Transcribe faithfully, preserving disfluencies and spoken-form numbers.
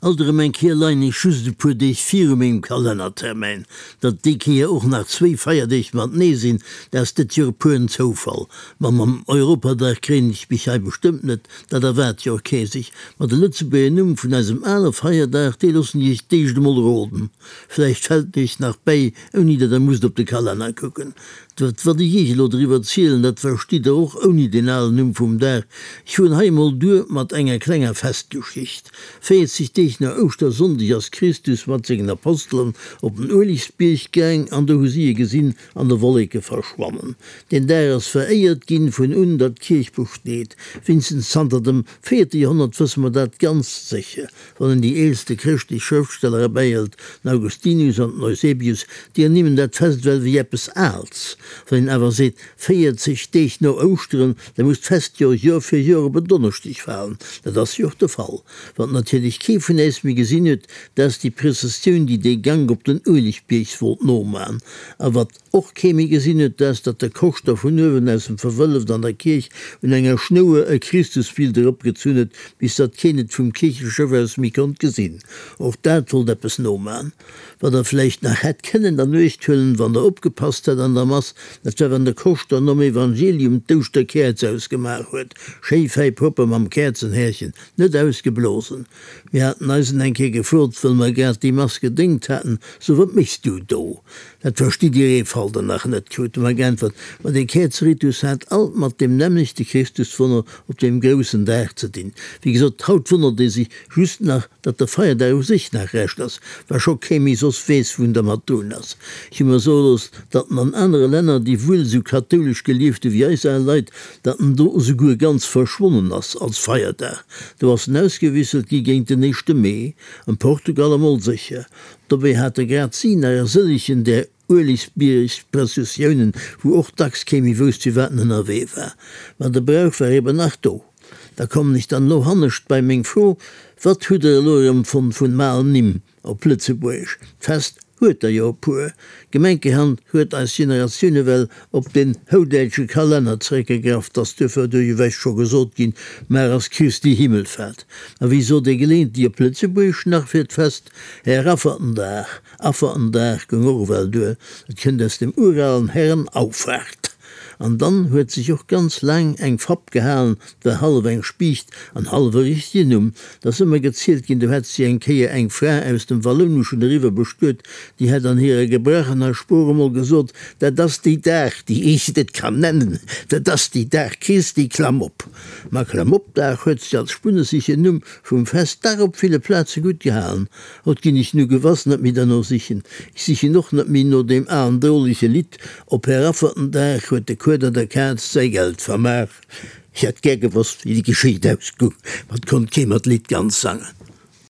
Alt erëm eng Kéier leien ech just e puer Deeg viru mengem Kalennertermäin. Datt déi Kéier och nach zwéi Feierdeeg matenee sinn, dat ass dët Joer pueren Zoufall. Ma mam Europadag kréien ech mech hei bestëmmt net, dat erwaart jo och kee sech. Ma de Lëtzebuerger Numm vun eisem ale Feierdag, dee loossen ech iech d'éischt emol roden. Vläicht fält en iech nach bäi, ouni datt der musst op de Kalenner kucken. Dat, wat ech iech elo driwwer zielen, dat verstitt der och ouni deen alen Numm vum Dag. Ech fueren hei emol duer mat enger klenger Festgeschicht. Véierzeg Deeg no Ouschtersonndeg ass Christus mat sengen Apostelen op den Uelegsbierg gaang an do hu si e gesinn an de Wolleke verschwannen. Deen Dag ass veréiert ginn vun un datt d'Kierch besteet. Wéinstens zanter dem véierte Joerhonnert wësse mer dat ganz sécher. Wann een déi eelste chrëschtlech Schrëftsteller erbäihëlt, den Augustinus an den Eusebius, déi ernimmen dat Fest ewell wéi eppes Aals. Wann een awer seet, véierzeg Deeg no Ouschteren, da muss d'Fest jo Joer fir Joer op en Donneschdeg falen. Dat ass jo och de Fall. Wat natierlech kee vun äis méi gesinn huet, dat ass déi Prëssessioun, déi dee Gank op den Uelegbierg wollt noman. A wat och kee méi gesinn huet, dat ass, datt de Koschter vun uewen aus dem Verwëlleft an der Kierch un enger Schnouer e Christusbild eropgezunn huet, bis datt keen et vum Kiercheschëff aus méi konnt gesinn. Och dat wollt eppes noman. Wat der vläicht nach hätt kënnen an Uecht huelen, wann der opgepasst hätt an der Mass, dat war, wann de Koschter nom Evangelium d'Ouschterkäerz ausgemaach huet, schéi fäi propper mam Käerzenhärchen, net ausgeblosen. Mir haten eisen eng Kéier gefrot, wëll mer grad déi Mass gedéngt haten, So, wat méchs du do? Dat verstitt Dir Eefalter nach net, krute mer geäntwert. Ma dee Käerzeritus hat alt mat deem nämmlechte Christuswonner op deem groussen Dag ze dinn. Wéi gesot, haut wonnert ee sech just nach, datt de Feierdag u sech nach Rescht ass, wa scho kee méi soss weess, wou en dermat drun ass. Ech hu mer soe looss, datt en an anere Länner, déi wuel esou kathoulesch gelieft hu wéi eis al Leit, datt en do esouguer ganz verschwonnen ass als Feierdag. Do ass en ausgewisselt gi géint den éischte Mee, am Portugal emol sécher. Dobäi hate grad si nach e sëllegen där Uelegbierg-Prëssessiounen, wou och dacks kee méi wousst, firwat en ënnerwee war. Ma de Brauch war eben nach do. Da kommen ech dann elo hannescht bei meng Fro, Wat hutt der elo erëm fonnt vun alen Nimm op Lëtzebuergesch? D'Fest huet der jo e puer. Gemenkerhand huet eis Generatioun ewell op den houdäitsche Kalenner zeréckgegraff, 't ass duerfir duerchewech scho gesot ginn, Mar ass Christi Himmelfahrt. Ma wéi sot ee geleeëntlech op Lëtzebuergesch nach fir d'Fest? Här Affertendag. Affertendag goung och ewell duer, dat kënnt aus dem uralen Herrenauffahrt. An dann huet sech och ganz laang eng Fapp gehalen, 't war hallef eng Spiicht an hallef e richtegen Numm. 't ass ëmmer gezielt ginn, do hätt sech eng Kéier eng Fra aus dem Wallouneschen eriwwer bestuet, déi hätt an hirer gebrachener Sprooch emol gesot, Dat ass déi Dag, déi ech net kann nennen, dat ass déi Dag Christi Klamm-op. Ma Klamm-op-Dag huet sech als spunnesegen Numm vum Fest dach op ville Plaze gutt gehalen. Haut ginn ech nu gewass net méi derno sichen. Ech sichen och net méi no deem alen drolege Lidd, Op Här Affertendag huet de Kueder der Kaz säi Geld vermaach. Ech hätt gär gewosst, wéi déi Geschicht ausgoung, ma 't konnt kee mer d'Lidd ganz sangen.